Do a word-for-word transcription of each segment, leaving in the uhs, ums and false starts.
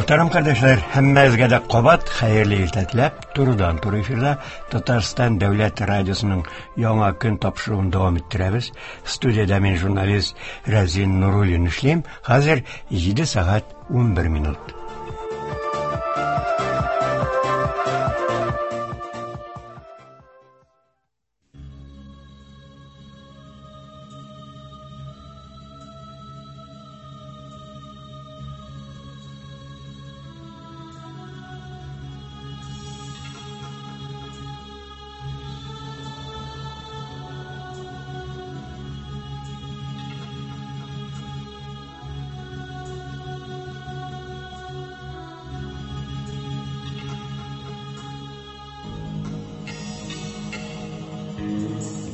Мөхтәрәм кардәшләр, һәммәгезгә дә кабат хәерле иртә теләп, турыдан-туры эфирда Татарстан Дәүләт радиосының Яңа көн тапшыруын дәвам иттерәбез. Студиядә мин журналист Разин Нуруллин эшлим. Хәзер җиде сәгать унбер минут.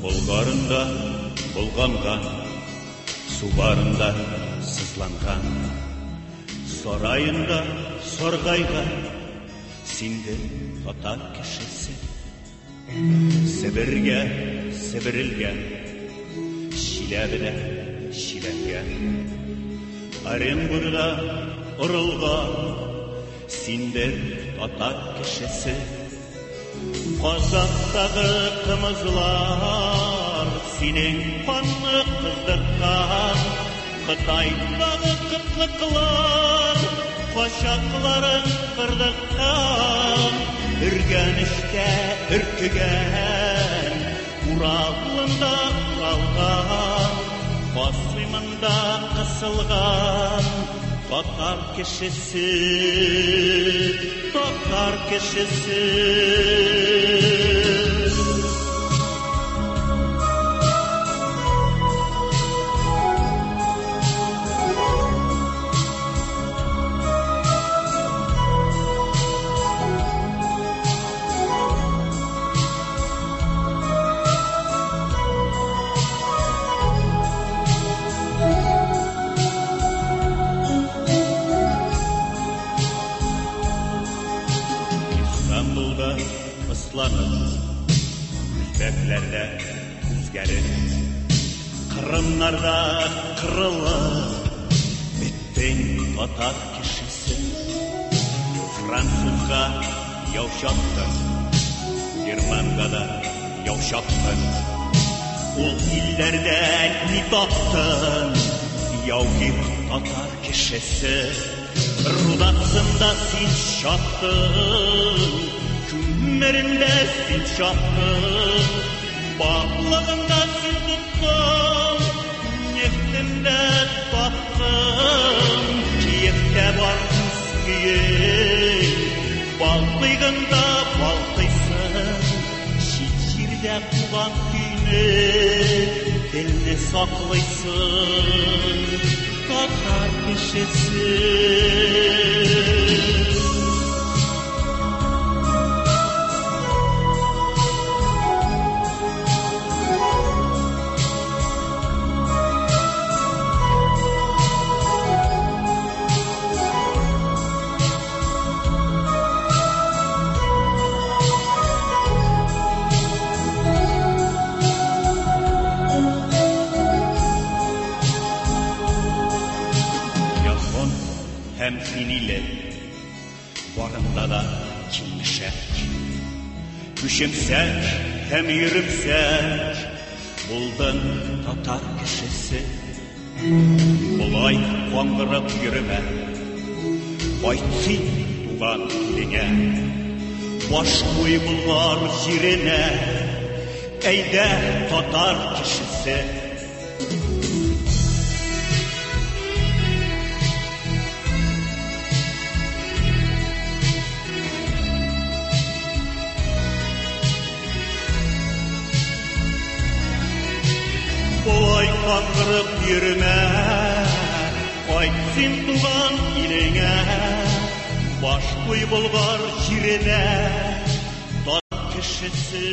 Болгарында булганган, Субарында сызланган, Сараенда саргайган, синде татар кешесе. Себергә себерелгән, Чиләбедә чиләнгән, Оренбургда орылган, синдер татар кешесе. Казактагы кымызлар синең канны кыздырткан, Кытайдагы кытлыклар качакларын кырдырткан, Өргәнештә өркегән, Уралында уралган, Касыймында кысылган татар кешесе, татар кешесе. Үзбәкләрдә үзгәреп, Кырымнарда кырылып беттең татар кешесе. Французга яу чаптың, Германга да яу чаптың, ул илләрдә ни таптың, яугир татар кешесе. Рудасында син чаптың, Күмерендә син чаптың, Баклыгында син тоттың, Нефтендә таптың, Киевтә бар үз көең, Балтыйгында балтыйсың, Чит җирдә туган көйне, Телне саклыйсың, татар кешесе. Һәм хиниле, барында да килмешәк, Күчемсәк һәм йөремсәк, булдың татар кешесе. Болай каңгырып йөремә, кайт син туган илеңә, Баш куй Болгар җиренә, әйдә татар кешесе. Болай каңгырып йөрмә, кайт син туган илеңә, Баш куй Болгар җиренә, татар кешесе,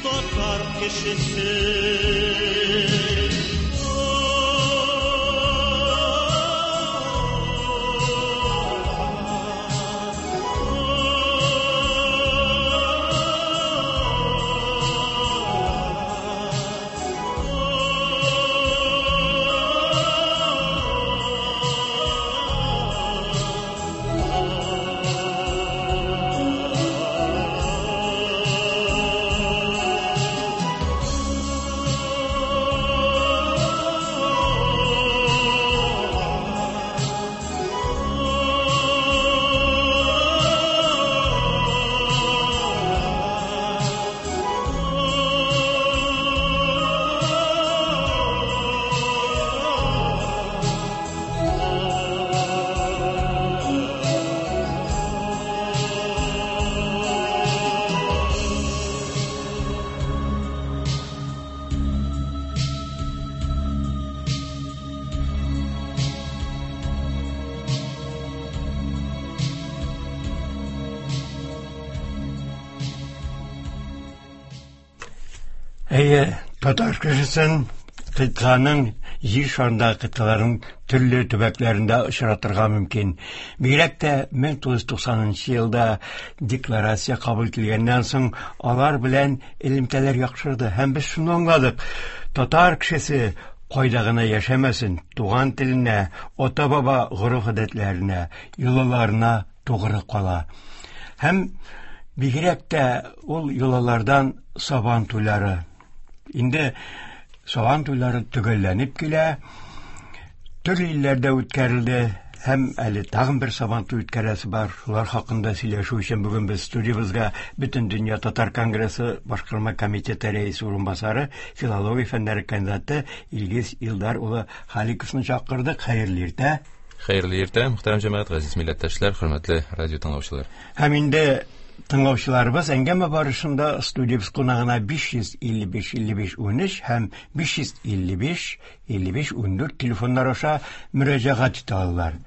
татар кешесе. Oh. Әйе, татар кешесен кыйтганың җир шарындагы кыйтгаларның төрле төбәкләрендә очратырга мөмкин. Бигрәк тә мең тугыз йөз туксанынчы елда декларация кабул ителгәннән соң алар белән элемтәләр яхшырды һәм без шуны аңладык: татар кешесе кайда гына яшәмәсен, туган теленә, ата-баба гореф-гадәтләренә, йолаларына тугры кала. Һәм бигрәк тә ул йолалардан Сабан туйлары. Инде Сабан туйлары төгәлләнеп килә, төрле илләрдә үткәрелде һәм әле тагын бер Сабан туй үткәрәсе бар. Шулар хакында сөйләшү өчен бүген без студиябезгә Бөтендөнья татар конгрессы башкарма комитеты рәисе урынбасары, филология фәннәре кандидаты Илгиз Илдар улы Халиковны чакырдык. Хәерле иртә. Хәерле иртә, мөхтәрәм җәмәгать, газиз милләттәшләр, хөрмәтле радио тыңлаучылар. Һәм инде тыңлаучыларыбыз әңгәмә барышында студиябез кунагына биш йөз илле биш илле биш унөч һәм биш йөз илле биш илле биш ундүрт телефоннар аша мөрәҗәгать итә алалар.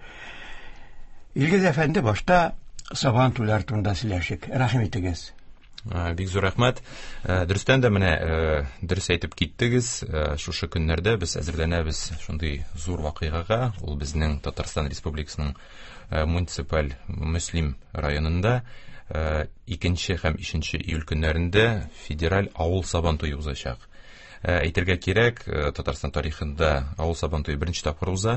Илгиз әфәнде, башта Сабан туйлары турында сөйләшик. Рәхим итегез. Бик зур рәхмәт. Дөрестән дә менә дөрес әйтеп киттегез. Шушы көннәрдә без әзерләнәбез шундый зур вакыйгага. Ул безнең Татарстан Республикасының муниципаль Мөслим районында икенче һәм өченче июль көннәрендә федераль авыл Сабан туе узачак. Әйтергә кирәк, Татарстан тарихында авыл Сабан туе беренче тапкыр уза.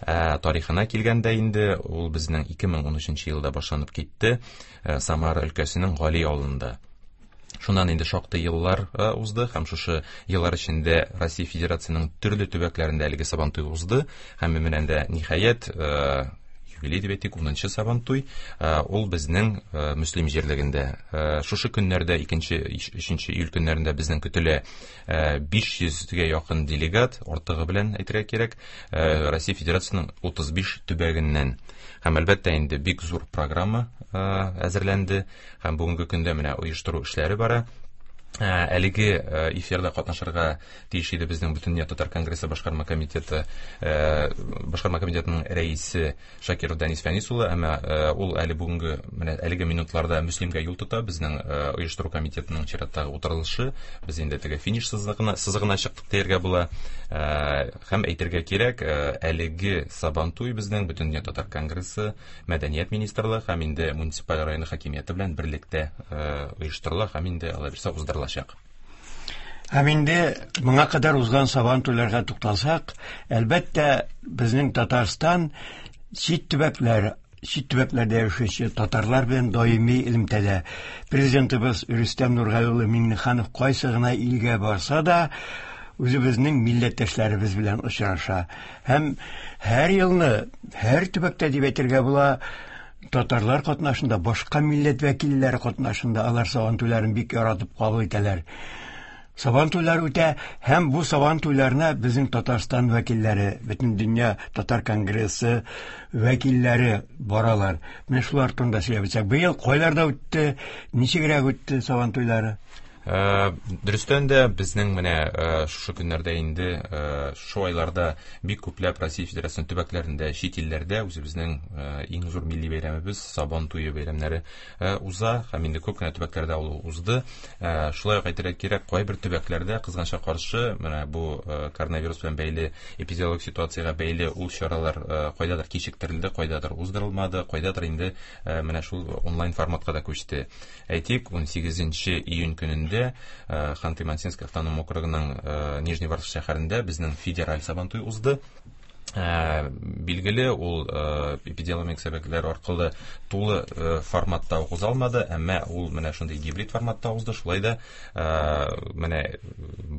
Тарихына килгәндә инде ул безнең ике мең унөченче елда башланып китте Самара өлкәсенең Гали авылында. Шуннан инде шактый еллар узды һәм шушы еллар эчендә Россия Федерациясенең төрле төбәкләрендә әлеге Сабан туе узды һәм менә дә ниһаять юбилей дип әйтик, унынчы Сабан туй, ул безнең Мөслим җирлегендә. Шушы көннәрдә, икенче, өченче июль көннәрендә безнең көтелә биш йөзгә якын делегат, артыгы белән әйтергә кирәк, Россия Федерациясенең утыз биш төбәгеннән. Һәм әлбәттә инде бик зур программа әзерләнде һәм бүгенге көндә менә оештыру эшләре бара. Әлеге эфирда катнашырга тиеш иде безнең Бөтендөнья татар конгрессы башкарма комитеты башкарма комитетының рәисе Шакиров Данис Фәнис улы, әмма ул әле бүгенге менә әлеге минутларда Мөслимгә юл тота. Безнең оештыру комитетының чираттагы утырышы, без инде теге финиш сызыгына сызыгына чыктык дияргә була. Һәм әйтергә кирәк, әлеге Сабан туй безнең Бөтендөнья татар конгрессы, Мәдәният министрлыгы һәм инде муниципаль район хакимияте белән берлектә оештырыла һәм инде алай булса уздырылачак. Һәм инде моңа кадәр узган Сабан туйларга тукталсак, әлбәттә, безнең Татарстан чит төбәкләр, чит төбәкләрдә яшәүче татарлар белән даими элемтәдә. Президентыбыз Рөстәм Нургали улы Миңнеханов кайсы гына илгә барса да, үзебезнең милләттәшләребез белән очраша. Һәм һәр елны, һәр төбәктә дип әйтергә була, татарлар катнашында, башка милләт вәкилләре катнашында алар Сабан туйларын бик яратып кабул итәләр. Сабан туйлары үтә һәм бу Сабан туйларына безнең Татарстан вәкилләре, Бөтендөнья татар конгрессы вәкилләре баралар. Менә шулар турында сөйләп үтсәк, быел кайларда үтте, ничегрәк үтте Сабан туйлары? Дөрестән дә безнең менә шушы көннәрдә инде, шушы айларда бик күпләп Россия Федерациясенең төбәкләрендә, чит илләрдә үзебезнең иң зур милли бәйрәмебез Сабан туе бәйрәмнәре уза һәм инде күп кенә төбәкләрдә ул узды. Шулай ук әйтергә кирәк, кайбер төбәкләрдә кызганычка каршы менә бу коронавирус белән бәйле эпидемиологик ситуациягә бәйле ул чаралар кайдадыр кичектерелде, кайдадыр уздырылмады, кайдадыр инде менә шул онлайн форматка да күчте. Әйтик, унсигезенче июнь көнендә Ханты-Мансийск автоном округының Нижний Вартовск шәһәрендә безнең федераль Сабантуй узды. Билгеле, ул эпидемиологик сәбәпләр аркылы тулы форматта уза алмады, әмма ул менә шундый гибрид форматта узды. Шулай да менә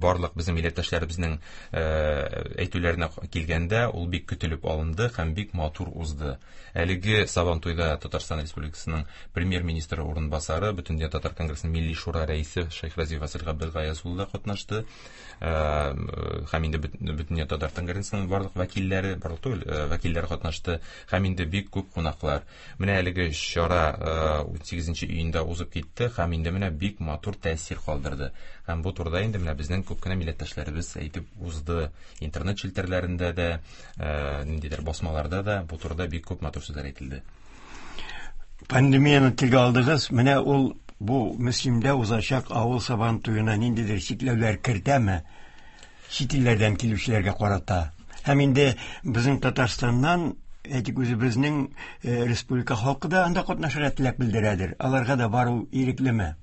барлык безнең милләттәшләребезнең әйтүләренә килгәндә, ул бик көтелеп алынды һәм бик матур узды. Әлеге Сабан туйда Татарстан Республикасының премьер-министры урынбасары, Бөтендөнья татар конгрессының Милли шура рәисе Шәйхразиев Васил Габделгаяз улы да катнашты. Һәм инде Бөтендөнья татар конгрессының барлык вәкилләре, барлык түгел, вәкилләре катнашты һәм инде бик күп кунаклар. Менә әлеге чара унсигезенче июньдә узып китте һәм инде менә бик матур тәэсир калдырды. Һәм бу турыда инде менә безнең күп кенә милләттәшләребез әйтеп узды. Интернет челтәрләрендә дә, ниндидер басмаларда да бу турыда бик күп матур сүзләр әйтелде. Пандемияне телгә алдыгыз. Менә ул Бу Мөслимдә узачак авыл Сабан туена ниндидер чикләүләр кертәме чит илләрдән килүчеләргә карата? Һәм инде безнең Татарстаннан, әйтик, үзебезнең республика халкы да анда катнашырга теләк белдерәдер. Аларга да бару иреклеме?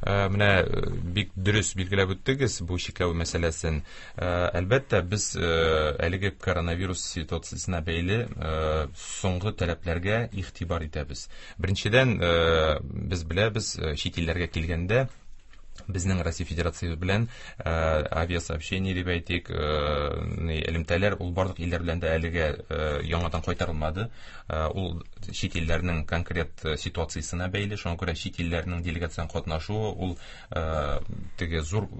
Менә бик дөрес билгеләп үттегез бу чикләү мәсьәләсен. Әлбәттә, без әлеге коронавирус ситуациясенә бәйле соңгы таләпләргә игътибар итәбез. Беренчедән, без беләбез, чит илләргә килгәндә безнең Россия Федерациясе белән авиасообщение дип әйтик, элемтәләр ул барлык илләр белән дә әлегә яңадан кайтарылмады. Ул чит илләрнең конкрет ситуациясенә бәйле, шуңа күрә чит илләрнең делегацион катнашуы ул теге зур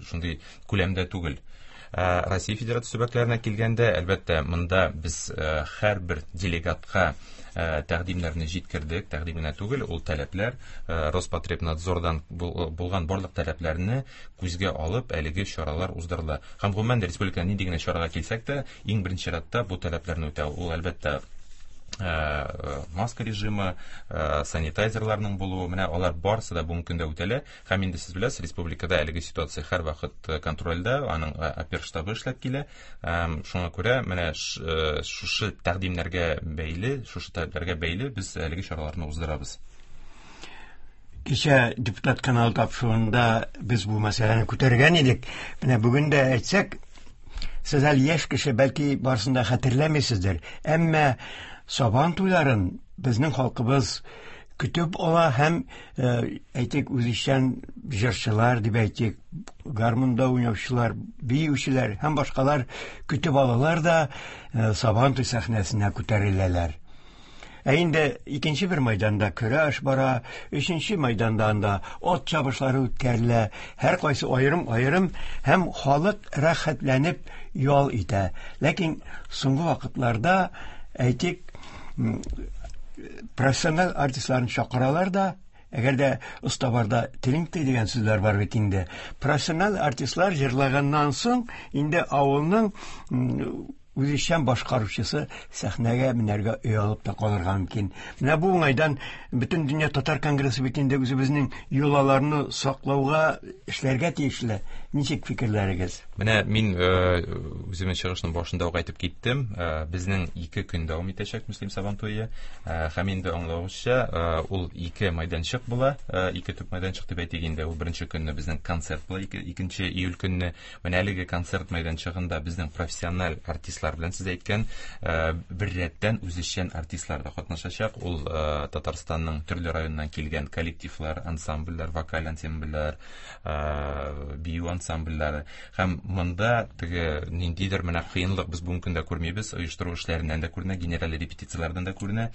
шундый күләмдә түгел. Россия Федерациясе төбәкләренә килгәндә, әлбәттә, монда без һәрбер делегатка тәкъдимнәрне җиткердек, тәкъдим генә түгел, ул таләпләр Роспотребнадзордан булган барлык таләпләрне күзгә алып, әлеге чаралар уздырыла. Һәм гомумән республикада нинди генә чарага килсәк тә, иң беренче чиратта бу таләпләрне үтәү. Ул әлбәттә маска режимы, санитайзерларның булуы, менә алар барысы да бүгенге көндә үтәлә. Һәм инде сез беләсез, республикада әлеге ситуация һәрвакыт контрольдә, аның оперштабы эшләп килә. Шуңа күрә менә шушы тәкъдимнәргә бәйле, шушы таләпләргә бәйле без әлеге чараларны уздырабыз. Кичә депутат каналы тапшыруында без бу мәсьәләне күтәргән идек. Менә бүген дә әйтсәк, сез әле яшь кеше, бәлки барысын да хәтерләмисездер. Әмма Сабан туйларын безнең халкыбыз көтеп ала һәм, әйтик, үзешчән җырчылар дип әйтик, гармунда уйнаучылар, биючеләр һәм башкалар көтеп алалар да Сабан туй сәхнәсенә күтәреләләр. Ә инде икенче бер майданда көрәш бара, өченче майданда анда ат чабышлары үткәрелә, һәр кайсы аерым-аерым һәм халык рәхәтләнеп ял итә. Ләкин соңгы вакытларда, әйтик, профессиональ артистларны чакыралар да, әгәр дә оста барда телең тый дигән сүзләр бар бит инде. Профессиональ артистлар җырлаганнан соң инде авылның үзешчән башкаручысы сәхнәгә менәргә оялып та калырга мөмкин. Менә бу уңайдан Бөтен дөнья татар конгрессы бит инде үзебезнең йолаларны саклауга эшләргә тиешле. Ничек фикерләрегез? Менә мин үземнең чыгышның башында ук әйтеп киттем. Безнең ике көн дәвам итәчәк Мөслим Сабан туе. Һәм инде аңлавыгызча, ул ике майданчык була, ике төп майданчык дип әйтик инде. Ул беренче көнне безнең концерт була, икенче июль көнне. Менә әлеге концерт майданчыгында безнең профессиональ артистлар белән сез әйткән бер рәттән үзешчән артистлар да катнашачак. Ул Татарстанның төрле районнан килгән коллективлар, ансамбльләр, вокаль ансамбльләр, бию ансамбльләре. Һәм монда теге ниндидер менә кыенлык без бүгенге көндә күрмибез, оештыру эшләреннән дә күренә, генераль репетицияләрдән дә күренә.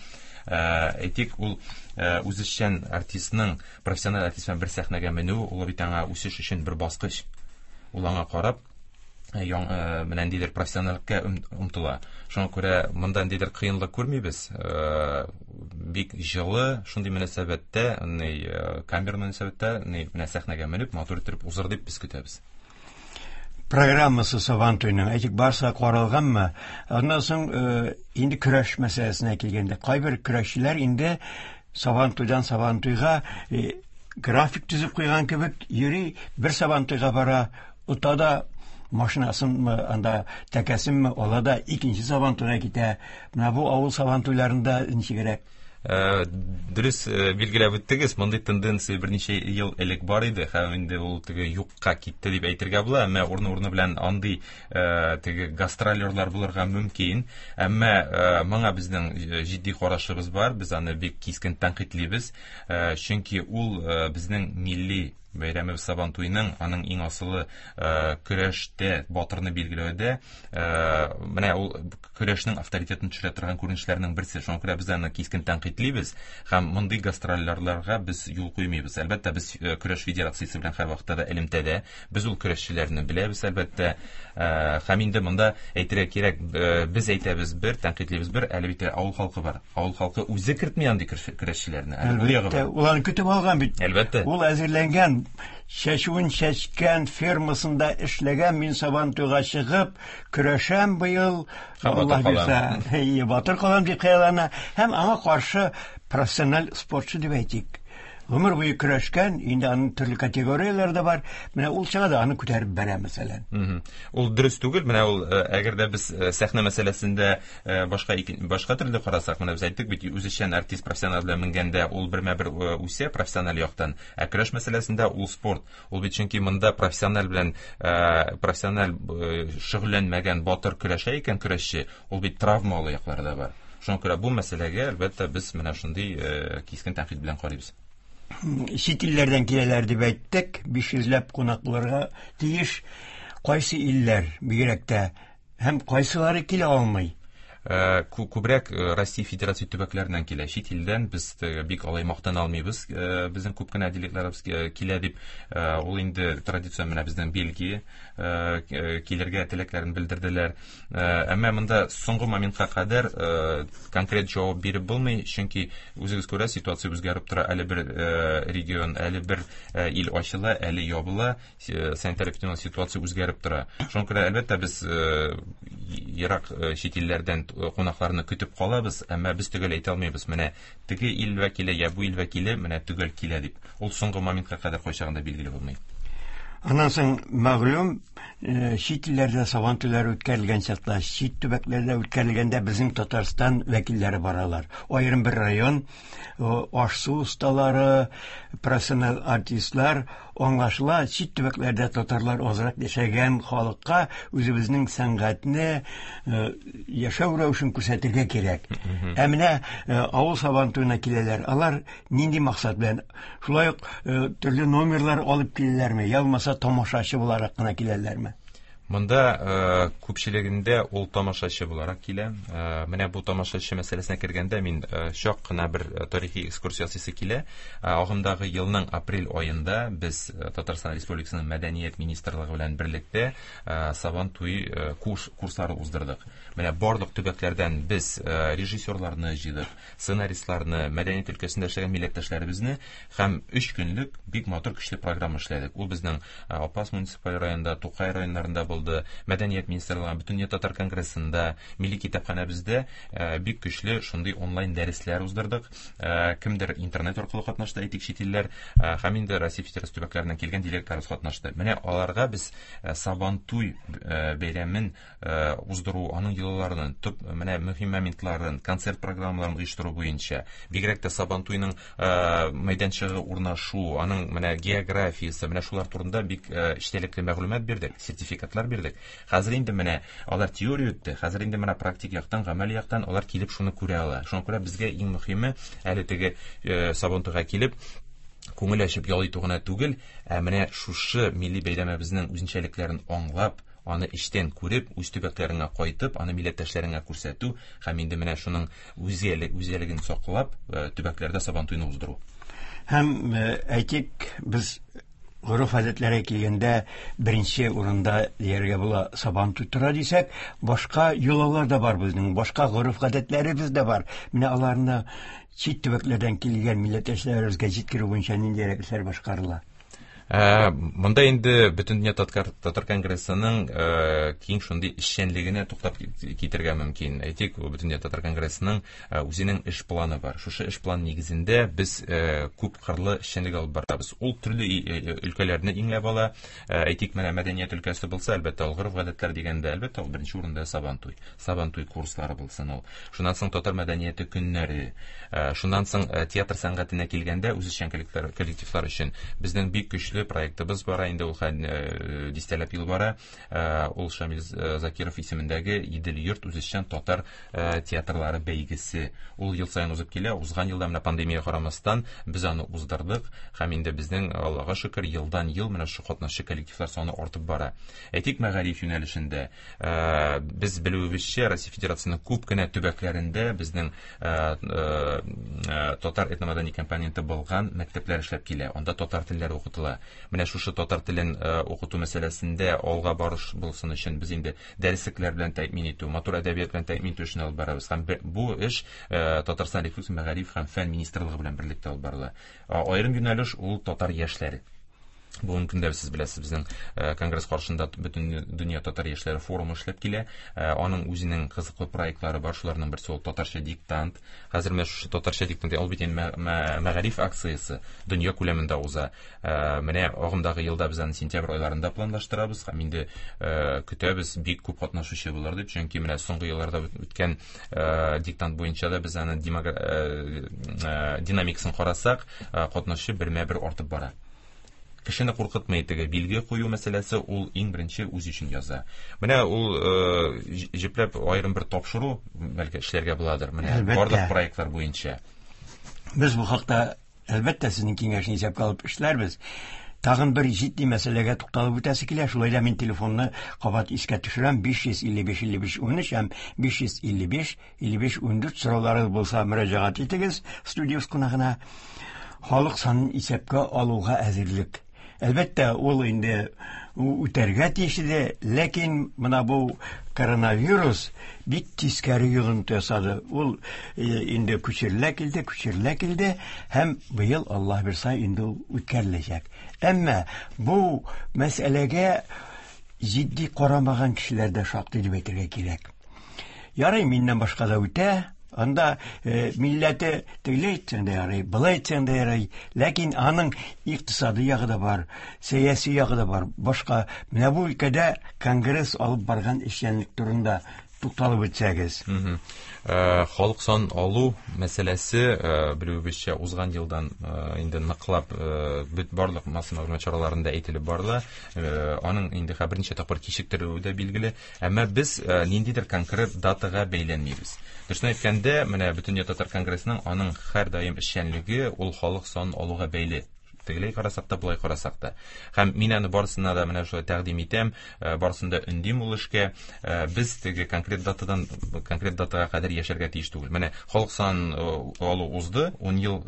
Әйтик, ул үзешчән артистның профессиональ артист белән бер сәхнәгә менү, ул бит аңа үсеш өчен бер баскыч. Ул аңа карап менә ниндидер профессиональлеккә омтыла. Шуңа күрә монда ниндидер кыенлык күрмибез. Бик җылы, шундый мөнәсәбәттә, камера мөнәсәбәттә, менә сәхнәгә менеп, матур итеп узыр дип без көтәбез. Программасы Сабан туеның, әйтик, барса каралганмы? Аннан соң инде көрәш мәсьәләсенә килгәндә, кайбер көрәшчеләр инде Сабан туйдан Сабан туйга график төзеп куйган кебек йөри, бер Сабан туйга бара, ота да машинасынмы, анда тәкәсенме ала да икенче Сабан туйга китә. Менә бу авыл Сабан туйларында ничегрәк? Дөрес билгеләп үттегез, мондый тенденция берничә ел элек бар иде, һәм инде ул теге юкка китте дип әйтергә була, әмма урыны-урыны белән андый теге гастролерлар булырга мөмкин. Әмма моңа безнең җитди карашыбыз бар, без аны бик кискен тәнкыйтьлибез, чөнки ул безнең милли бәйрәмебез Сабан туеның, аның иң асылы көрәштә батырны билгеләүдә, менә ул көрәшнең авторитетын төшерә торган күренешләрнең берсе. Шуңа күрә без аны кискен тәнкыйтьлибез һәм мондый гастрольләргә без юл куймыйбыз. Әлбәттә, без көрәш федерациясе белән һәрвакытта да элемтәдә. Без ул көрәшчеләрне беләбез, әлбәттә. Һәм инде монда әйтергә кирәк, без әйтәбез бер, тәнкыйтьлибез бер, әле бит авыл халкы бар. Авыл халкы үзе кертми андый көрәшчеләрне. Әлбәттә, ул аны көтеп алган бит. Әлбәттә. Ул әзерләнгән, чәчүен чәчкән, фермасында эшләгән, мин Сабан туйга чыгып көрәшәм быел, Аллаһ бирсә, батыр калам дип хыяллана. Һәм аңа каршы профессиональ спортчы дип әйтик, гомер буе көрәшкән, инде аның төрле категорияләре дә бар. Менә ул чыга да аны күтәреп бәрә, мәсәлән. Ул дөрес түгел. Менә ул әгәр дә без сәхнә мәсьәләсендә башка башка төрле карасак, менә без әйттек бит, үзешчән артист профессионал белән менгәндә ул бермә-бер үсә профессиональ яктан. Ә көрәш мәсьәләсендә ул спорт. Ул бит чөнки монда профессиональ белән профессиональ шөгыльләнмәгән батыр көрәшә икән көрәшче, ул бит травмалы яклары да бар. Шуңа күрә бу мәсьәләгә әлбәттә без менә шундый кискен тәнкыйть белән карыйбыз. Чит илләрдән киләләр дип әйттек, биш йөзләп кунак булырга тиеш. Кайсы илләр бигрәк тә һәм кайсылары килә алмый? Күбрәк Россия Федерация төбәкләреннән килә. Чит илдән без бик алай мактана алмыйбыз. Безнең күп кенә делегатларыбыз килә дип, ул инде традицион менә безнең Бельгия килергә теләкләрен белдерделәр. Әмма монда соңгы моментка кадәр конкрет җавап биреп булмый, чөнки үзегез күрә, ситуация үзгәреп тора. Әле бер регион, әле бер ил ачыла, әле ябыла, санитар-эпидемиологик ситуация үзгәреп тора. Шуңа күрә әлбәттә без ерак чит илләрдән кунакларны көтеп калабыз, әмма без төгәл әйтә алмыйбыз, менә теге ил вәкиле я бу ил вәкиле менә төгәл килә дип. Ул соңгы моментка кадәр кайчагында билгеле булмый. Аннан соң мәгълүм, чит илләрдә сабан туйлары үткәрелгән чакта, чит төбәкләрдә үткәрелгәндә безнең Татарстан вәкилләре баралар. Аерым бер район, аш-су осталары, профессиональ артистлар, аңлашыла, чит төбәкләрдә татарлар азрак яшәгән халыкка үзебезнең сәнгатьне, яшәү рәвешен күрсәтергә кирәк. Ә менә авыл сабан туена киләләр. Алар нинди максат белән? Шулай ук төрле номерлар алып киләләрме, я булмаса тамашачы буларак кына киләләрме? Монда күпчелегендә ул тамашачы буларак килә. Менә бу тамашачы мәсьәләсенә кергәндә мин чак кына бер тарихи экскурсия ясыйсы килә. Агымдагы елның апрель аенда без Татарстан Республикасының Мәдәният министрлыгы белән берлектә Сабан туй курслары уздырдык. Менә барлык төбәкләрдән без режиссерларны җыйдык, сценаристларны, мәдәният өлкәсендә эшләгән милләттәшләребезне һәм өч көнлек бик матур көчле программа эшләдек. Ул безнең Апас муниципаль районында, Тукай районнарында булды, Мәдәният министрлыгы, Бөтендөнья татар конгрессында, милли китапханәбездә бик көчле шундый онлайн дәресләр уздырдык. Кемдер интернет аркылы катнашты, әйтик, чит илләр, һәм инде Россия Федерациясе төбәкләреннән килгән делегатларыбыз катнашты. Менә аларга без Сабантуй бәйрәмен уздыру, аның йолаларын, төп менә мөһим моментларын, концерт программаларын оештыру буенча, бигрәк тә Сабантуйның мәйданчыгы урнашу, аның менә географиясе, менә шулар турында бик эчтәлекле мәгълүмат бирдек, сертификатлар бирдек. Хәзер инде менә алар теория үтте, хәзер инде менә практик яктан, гамәли яктан алар килеп шуны күрә ала. Шуңа күрә безгә иң мөһиме әле теге Сабантуйга килеп күңел ачып ял итү генә түгел, ә менә шушы милли бәйрәмебезнең үзенчәлекләрен аңлап, аны эчтән күреп, үз төбәкләреңә кайтып, аны милләттәшләреңә күрсәтү һәм инде менә шуның үзәлеген саклап, төбәкләрдә Сабантуйны уздыру. Һәм әйтик, без гореф-гадәтләргә килгәндә беренче урында дияргә була Сабантуй тора дисәк, башка йолалар да бар безнең, башка гореф-гадәтләребез дә бар. Менә аларны чит төбәкләрдән килгән милләттәшләребезгә җиткерү буенча ниндирәк эшләр башкарыла? Монда инде Бөтендөнья татар конгрессының киң шундый эшчәнлегенә туктап китергә мөмкин. Әйтик, Бөтендөнья татар конгрессының үзенең эш планы бар. Шушы эш планы нигезендә без күп кырлы эшчәнлек алып барабыз. Ул төрле өлкәләрне иңләп ала. Әйтик, менә мәдәният өлкәсе булса, әлбәттә, ул гореф-гадәтләр дигәндә, әлбәттә, ул беренче урында Сабантуй. Сабантуй курслары булсын ул. Шуннан соң татар мәдәнияте көннәре, шуннан соң театр сәнгатенә килгәндә үзешчән коллективлар өчен безнең бик көчле проектыбыз бара, инде ул дистәләп ел бара. Ул Шамил Закиров исемендәге Идел йорт үзешчән татар театрлары бәйгесе. Ул ел саен узып килә. Узган елда менә пандемия карамастан без аны уздырдык һәм инде безнең, Аллага шөкер, елдан ел менә шу катнашчы коллективлар саны артып бара. Әйтик, мәгариф юнәлешендә без белүебезчә, Россия Федерациясенең күп кенә төбәкләрендә безнең татар этномәдәни компоненты булган мәктәпләр эшләп килә. Анда татар телләре укытыла. Менә шушы татар телен укыту мәсьәләсендә алга барыш булсын өчен без инде дәреслекләр белән тәэмин итү, матур әдәбият белән тәэмин итү эшен алып барабыз. Һәм бу эш Татарстан Республикасы Мәгариф һәм фән министрлыгы белән берлектә алып барыла. Аерым юнәлеш ул татар яшьләре. Бүгенге көндә сез беләсез, безнең конгресс каршында бөтен дөнья татар яшьләре форумы эшләп килә. Аның үзенең кызыклы проектлары бар, шуларның берсе ул татарча диктант. Хәзер менә шушы татарча диктант, ул бит инде мәгариф акциясе дөнья күләмендә уза. Менә агымдагы елда без аны сентябрь айларында планлаштырабыз һәм инде көтәбез, бик күп катнашучы булыр дип, чөнки менә соңгы елларда үткән диктант буенча да без аны динамикасын карасак, катнашучы бермә-бер артып бара. Кешене куркытмый теге билге кую мәсьәләсе, ул иң беренче үз өчен яза. Менә ул җепләп аерым бер тапшыру бәлки эшләргә буладыр. Менә барлык проектлар буенча. Без бу хакта әлбәттә сезнең киңәшне исәпкә алып эшләрбез. Тагын бер җитди мәсьәләгә тукталып үтәсе килә. Шулай да мин телефонны кабат искә төшерәм. биш йөз илле биш илле биш унөч һәм биш йөз илле биш илле биш ундүрт сорауларыгыз булса мөрәҗәгать итегез студия кунагына. Халык санын исәпкә алуга әзерлек. Әлбәттә, ул инде үтәргә тиеш иде, ләкин менә бу коронавирус бик тискәре йогынты ясады. Ул инде күчерелә килде, күчерелә килде һәм быел Аллаһ бирсә инде ул үткәреләчәк. Әмма бу мәсьәләгә җитди карамаган кешеләр дә шактый дип әйтергә кирәк. Ярый, миннән башка да үтә. Анда э, милләте тегеләй әйтсәң дә ярый, былай әйтсәң дә ярый, ләкин аның икътисади ягы да бар, сәяси ягы да бар. Башка менә бу өлкәдә конгресс алып барган эшчәнлек турында тукталып үтсәгез. Халык сан алу мәсьәләсе, белүебезчә, узган елдан инде ныклап бит барлык масса мәгълүмат чараларында әйтелеп барыла. Аның инде берничә тапкыр кичектерелүе дә билгеле. Әмма без ниндидер конкрет датага бәйләнмибез. Дөресен әйткәндә, менә Бөтендөнья татар конгрессының аның һәрдаим эшчәнлеге ул халык санын алуга бәйле. Тегеләй карасак та, болай карасак та. Һәм мин аны барысына да менә шулай тәкъдим итәм, барысын да өндим ул эшкә. Без теге конкрет датадан конкрет датага кадәр яшәргә тиеш түгел. Менә халык санын алу узды, ун ел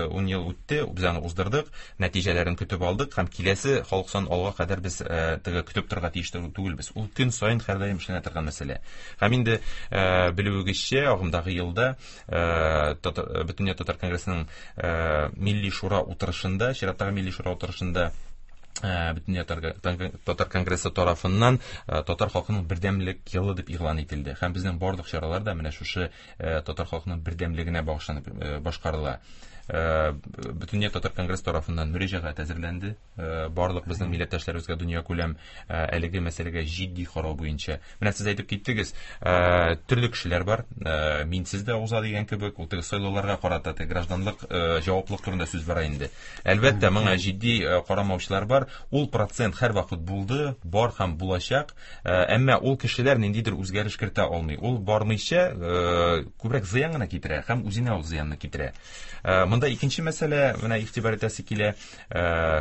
ун ел үтте, без аны уздырдык, нәтиҗәләрен көтеп алдык һәм киләсе халык санын алуга кадәр без теге көтеп торырга тиеш түгелбез. Ул көн саен һәрдаим эшләнә торган мәсьәлә. Һәм инде белүегезчә, агымдагы елда Бөтендөнья татар конгрессының Милли шура утырышында, чираттагы Милли шура утырышында Бөтендөнья татар конгрессы тарафыннан татар халкының бердәмлек елы дип игълан ителде. Һәм безнең барлык чаралар да менә шушы татар халкының бердәмлегенә багышланып башкарыла. Бөтендөнья татар конгрессы тарафыннан мөрәҗәгать әзерләнде. Барлык безнең милләттәшләребезгә дөнья күләм әлеге мәсьәләгә җитди карау буенча. Менә сез әйтеп киттегез, төрле кешеләр бар, минсез дә уза дигән кебек, ул теге сайлауларга карата теге гражданлык җаваплылык турында сүз бара инде. Әлбәттә, моңа җитди карамаучылар бар. Ул процент һәрвакыт булды, бар һәм булачак. Әмма ул кешеләр ниндидер үзгәреш кертә алмый. Ул бармыйча күбрәк зыян гына китерә һәм үзенә ул зыянны китерә. Монда икенче мәсьәлә, менә игътибар итәсе килә,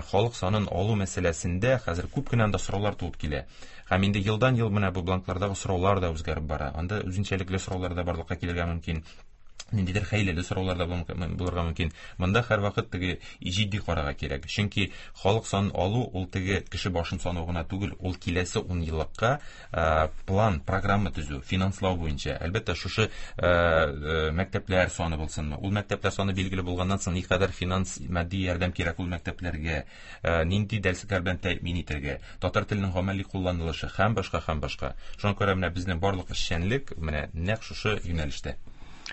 халык санын алу мәсьәләсендә хәзер күп кенә анда сораулар туып килә. Һәм инде елдан ел менә бу бланклардагы сораулар да үзгәреп бара. Анда үзенчәлекле сораулар да барлыкка килергә мөмкин. Ниндидер хәйләле сораулар да булырга мөмкин. Монда һәрвакыт теге җитди карарга кирәк. Чөнки халык санын алу ул теге кеше башын санау гына түгел, ул киләсе ун еллыкка план, программа төзү, финанслау буенча. Әлбәттә, шушы мәктәпләр саны булсынмы? Ул мәктәпләр саны билгеле булганнан соң никадәр финанс, матди ярдәм кирәк ул мәктәпләргә, нинди дәреслекләр белән тәэмин итәргә, татар теленең гамәли кулланылышы һәм башка һәм башка. Шуңа күрә менә безнең барлык эшчәнлек менә нәкъ шушы юнәлештә.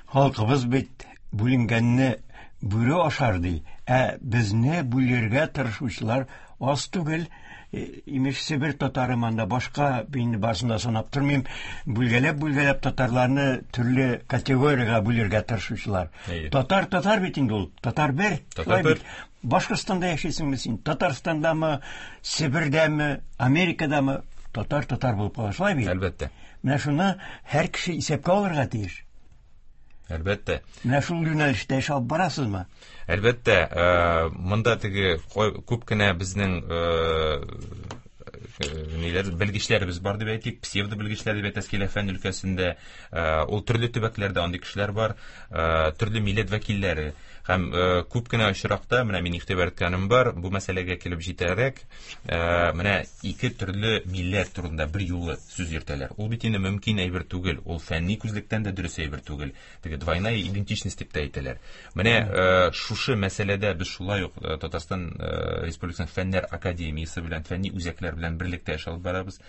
Халкыбыз бит бүленгәнне бүре ашар ди, ә безне бүлергә тырышучылар аз түгел. Имеш Себер татары монда башка, инде барысын да санап тормыйм, бүлгәләп-бүлгәләп татарларны төрле категориягә бүлергә тырышучылар. Татар татар бит инде ул, татар бер. Татар бер. Башкортстанда яшисеңме син? Татарстандамы, Себердәме, Америкадамы? Татар татар булып кала, шулай бит? Әлбәттә. Менә шуны һәр кеше исәпкә алырга тиеш. Әлбәттә. Менә шул юнәлештә эш алып барасызмы? Әлбәттә, монда теге күп кенә безнең ниләр белгечләребез бар дип әйтик, псевдо белгечләр дип әйтәс килә фән өлкәсендә. Ул төрле төбәкләрдә андый кешеләр бар, төрле милләт вәкилләре. Һәм күп кенә очракта менә мин игътибар иткәнем бар, бу мәсьәләгә килеп җитәрәк, менә ике төрле милләт турында бер юлы сүз йөртәләр. Ул бит инде мөмкин әйбер түгел, ул фәнни күзлектән дә дөрес әйбер түгел. Теге двойная идентичность дип тә әйтәләр. Менә шушы мәсьәләдә без шулай ук Татарстан Республикасының Фәннәр академиясе белән, фәнни үзәкләр белән берлектә эш алып барабыз.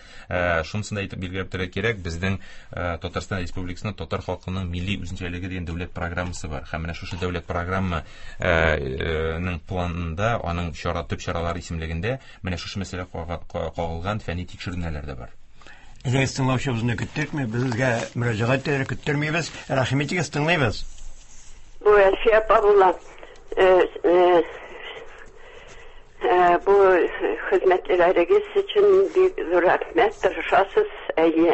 Шунысын да әйтеп билгеләп торырга кирәк, безнең Татарстан Республикасының татар халкының милли үзенчәлеге дигән дәүләт программасы бар. Һәм менә шушы дәүләт программаның планында, аның чара, төп чаралары исемлегендә менә шушы мәсьәлә кагылган фәнни тикшеренүләр дә бар. Әгәр тыңлаучыбызны көттерми, безгә мөрәҗәгать итәргә көттермибез. Рәхим итегез, тыңлыйбыз. Бу Әлфия апа була. Бу хезмәтләрегез өчен бик зур рәхмәт, тырышасыз. Әйе,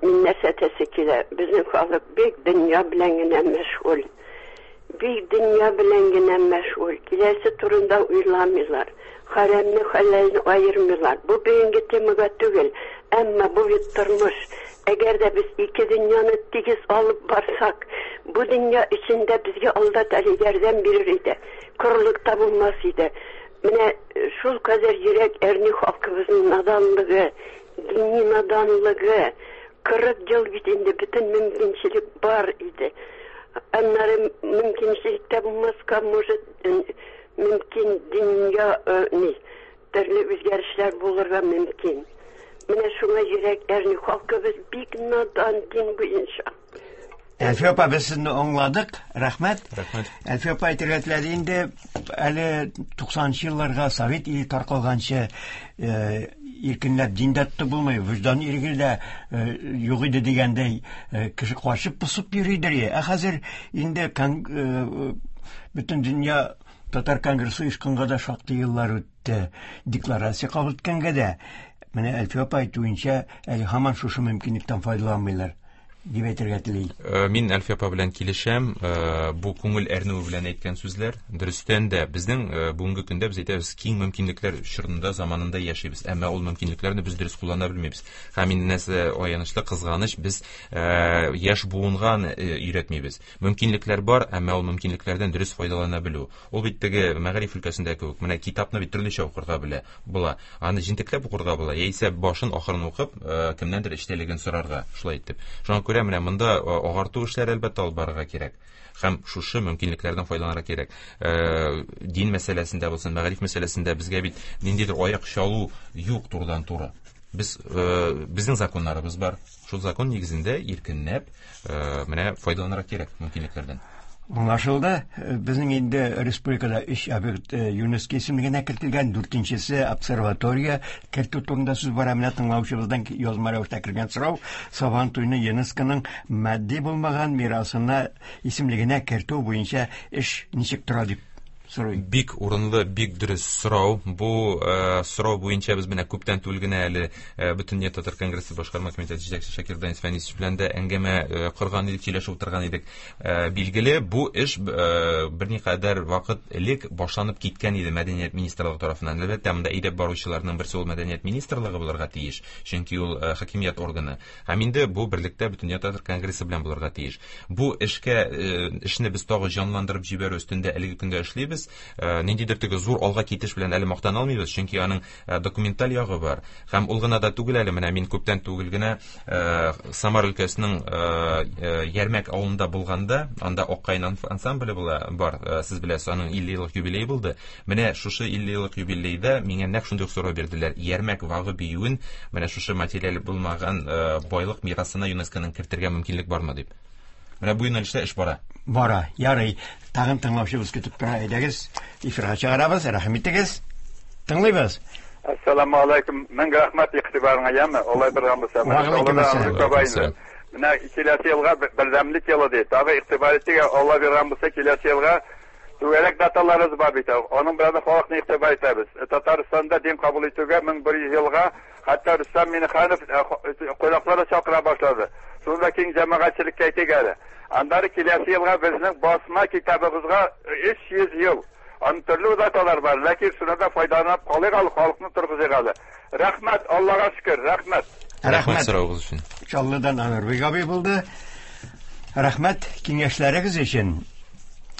мин нәрсә әйтәсе килә? Безнең халык бик дөнья белән генә мәшгуль. Бик дөнья белән генә мәшгуль. Киләсе турында уйламыйлар. Хәрамны хәләлне аермыйлар. Бу бүгенге темага түгел, әмма бу бит тормыш. Әгәр дә без ике дөньяны тигез алып барсак, бу дөнья эчендә безгә Алла Тәгалә ярдәм бирер иде. Корылык та булмас иде. Менә шул кадәр йөрәк әрни халкыбызның наданлыгы, дини наданлыгы. Кырык ел бит инде бөтен мөмкинчелек бар иде. Аннары мөмкинчелек тә булмаска, может, мөмкин дөнья ни, төрле үзгәрешләр булырга мөмкин. Менә шуңа йөрәк әрни халкыбыз бик надан дин буенча. Әлфия апа, без сезне аңладык. Рәхмәт. Рәхмәт. Әлфия апа әйтергә теләде инде, әле туксанынчы елларга Совет иле таркалганчы иркенләп дин дә тотып булмый, вөҗдан иреге дә юк иде дигәндәй, кеше качып посып йөридер. Ә хәзер инде бөтен дөнья татар конгрессы оешканга да шактый еллар үтте. Декларация кабул иткәнгә дә, менә Әлфия апа әйтүенчә, әле һаман шушы мөмкинлектән файдаланмыйлар дип әйтергә тели. Мин Әлфия апа белән килешәм. Бу күңел әрнүе белән әйткән сүзләр. Дөрестән дә безнең бүгенге көндә без әйтәбез, киң мөмкинлекләр чорында, заманында яшибез. Әмма ул мөмкинлекләрне без дөрес куллана белмибез. Һәм инде нәрсә аянычлы, кызганыч, без яшь буынга өйрәтмибез. Мөмкинлекләр бар, әмма ул мөмкинлекләрдән дөрес файдалана белү. Ул бит теге мәгариф өлкәсендә кебек, менә китапны бит төрлечә укырга белә була. Аны җентекләп укырга була, яисә башын ахырын укып, кемнәндер эчтәлеген сорарга, шулай итеп. Шуңа күрә менә монда агарту эшләре әлбәттә алып барырга кирәк. Һәм шушы мөмкинлекләрдән файдаланырга кирәк. Дин мәсьәләсендә булсын, мәгариф мәсьәләсендә безгә бит ниндидер аяк чалу юк турыдан-туры. Без безнең законнарыбыз бар. Шул закон нигезендә иркенләп менә файдаланырга кирәк мөмкинлекләрдән. Аңлашылды. Безнең инде республикада өч объект ЮНЕСКО исемлегенә кертелгән, дүртенчесе обсерватория кертү турында сүз бара. Менә тыңлаучыбыздан язма рәвештә кергән сорау: Сабан туйны ЮНЕСКОның матди булмаган мирасына исемлегенә кертү буенча эш ничек тора дип сорый. Бик урынлы, бик дөрес сорау. Бу сорау буенча без менә күптән түгел генә әле Бөтендөнья татар конгрессы башкарма комитеты җитәкчесе Шакир Данис Фәнисович белән дә әңгәмә корган идек, сөйләшеп утырган идек. Билгеле, бу эш берникадәр вакыт элек башланып киткән иде Мәдәният министрлыгы тарафыннан. Әлбәттә, монда әйдәп баручыларның берсе ул Мәдәният министрлыгы булырга тиеш, чөнки ул хакимият органы. Һәм инде бу берлектә Бөтендөнья татар конгрессы белән булырга тиеш. Бу эшкә эшне без тагы җанландырып җибәрү өстендә әлеге көндә эшлибез. Ниндидер теге зур алга китеш белән әле мактана алмыйбыз, чөнки аның документаль ягы бар. Һәм ул гына да түгел әле, менә мин күптән түгел генә Самар өлкәсенең Ярмәк авылында булганда, анда Аккаен ансамбле була бар, сез беләсез, аның илле еллык юбилее булды. Менә шушы илле еллык юбилейда миңа нәкъ шундый ук сорау бирделәр. Ярмәк вагы биюен менә шушы материаль булмаган байлык мирасына ЮНЕСКОның кертергә мөмкинлек бармы дип. Менә бу юнәлештә эш бара. Бара, ярый. Тагын тыңлаучыбыз көтеп тора. Әйдәгез, эфирга чыгарабыз. Рәхим итегез. Тыңлыйбыз. Ассаламу алейкум. Мең рәхмәт игътибарыңа, яме. Алай биргән булса. Менә киләсе елга бердәмлек елы ди. Тагы игътибар итегез, Алла биргән булса киләсе елга түгәрәк даталарыбыз бар бит. Аның белән дә халыкны игътибар итәбез. Татарстанда дин кабул итүгә мең бер йөз елга хәтта Рөстәм Миңнеханов кунакларны чакыра башлады. Шунда киң җәмәгатьчелеккә әйтик әле. Аннары киләсе елга безнең басма китабыбызга өч йөз ел. Аның төрле даталар бар, ләкин шуны да файдаланып калыйк әле, халыкны торгызыйк әле. Рәхмәт, Аллага шөкер, рәхмәт. Рәхмәт соравыгыз өчен. Чаллыдан Анарбек абый булды. Рәхмәт киңәшләрегез өчен.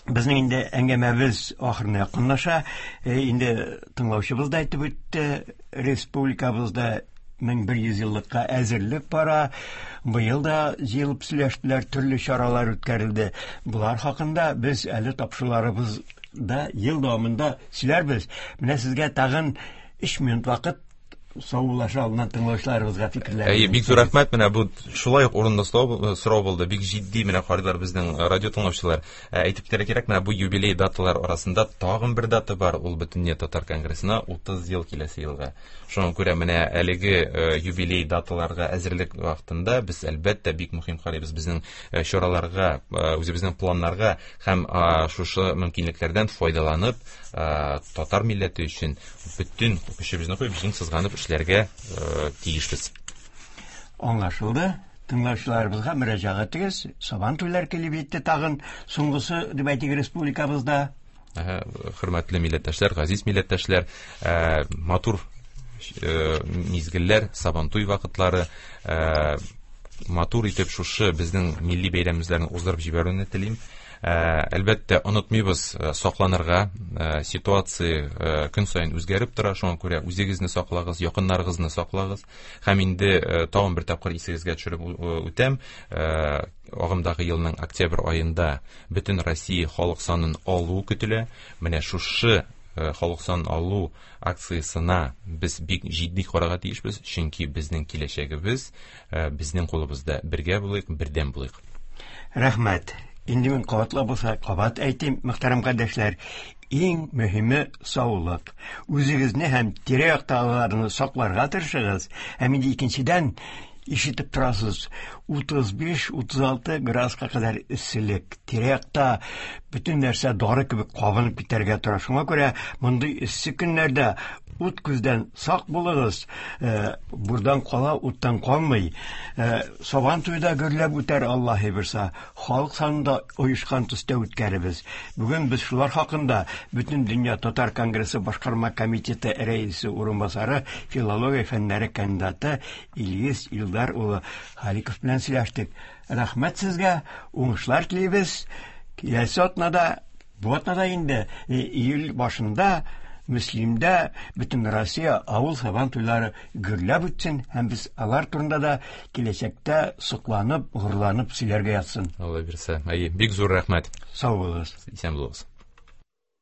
Безнең инде әңгәмәбез ахырына якынлаша. Инде тыңлаучыбыз да әйтеп үтте, республикабызда мең бер йөз еллыкка әзерлек бара. Быел да җыелып сөйләштеләр, төрле чаралар үткәрелде. Булар хакында без әле тапшыруларыбызда ел дәвамында сөйләрбез. Менә сезгә тагын өч минут вакыт саубуллаша алдыннан тыңлаучыларыбызга фикерләр. Әйе, бик зур рәхмәт. Менә бу шулай ук урынлы сорау булды. Бик җитди менә карыйлар безнең радио тыңлаучылар. Әйтеп китәргә кирәк, менә бу юбилей даталар арасында тагын бер дата бар. Ул Бөтендөнья татар конгрессына утыз ел киләсе елга. Шуңа күрә менә әлеге юбилей даталарга әзерлек вакытында без әлбәттә бик мөһим карыйбыз безнең чараларга, үзебезнең планнарга һәм шушы мөмкинлекләрдән файдаланып, татар милләте өчен бөтен көчебезне куеп, җиң сызганып эшләргә тиешбез. Аңлашылды. Тыңлаучыларыбызга мөрәҗәгать итегез. Сабан туйлар килеп җитте тагын, соңгысы дип әйтик республикабызда. Хөрмәтле милләттәшләр, газиз милләттәшләр, матур мизгелләр, Сабан туй вакытлары, матур итеп шушы безнең милли бәйрәмебезләрне уздырып җибәрүне телим. Әлбәттә, онытмыйбыз сакланырга, ситуация көн саен үзгәреп тора, шуңа күрә үзегезне саклагыз, якыннарыгызны саклагыз. Һәм инде тагын бер тапкыр исегезгә төшереп үтәм, агымдагы елның октябрь аенда бөтен Россия халык санын алу көтелә. Менә шушы халык санын алу акциясына без бик җитди карарга тиешбез, чөнки безнең киләчәгебез безнең кулыбызда. Бергә булыйк, бердәм булыйк. Рәхмәт. Инде мин кабатлап булса, кабат әйтим, мөхтәрәм кардәшләр, иң мөһиме саулык. Үзегезне һәм тирә-яктагыларны сакларга тырышыгыз. Һәм инде икенчедән, ишетеп торасыз, утыз биш, утыз алты градуска кадәр эсселек. Тирә-якта бөтен нәрсә дары кебек кабынып китәргә тора. Шуңа күрә мондый эссе көннәрдә ут күздән сак булыгыз. Бурдан кала, уттан калмый. Сабан туйда гөрләп үтәр, Аллаһы бирсә. Халык санында оешкан төстә үткәребез. Бүген без шулар хакында Бөтендөнья татар конгрессы башкарма комитеты рәисе урынбасары, филология фәннәре кандидаты Илгиз Илдар улы Халиков белән сөйләштек. Рәхмәт сезгә, уңышлар телибез. Киләсе атнада, бу атнада инде июль башында Мөслимдә бөтен Россия авыл сабан туйлары гөрләп үтсен һәм без алар турында да киләчәктә сокланып, горурланып сөйләргә ятсын. Алла бирсә. Әйе, бик зур рәхмәт. Сау булыгыз. Исән булыгыз.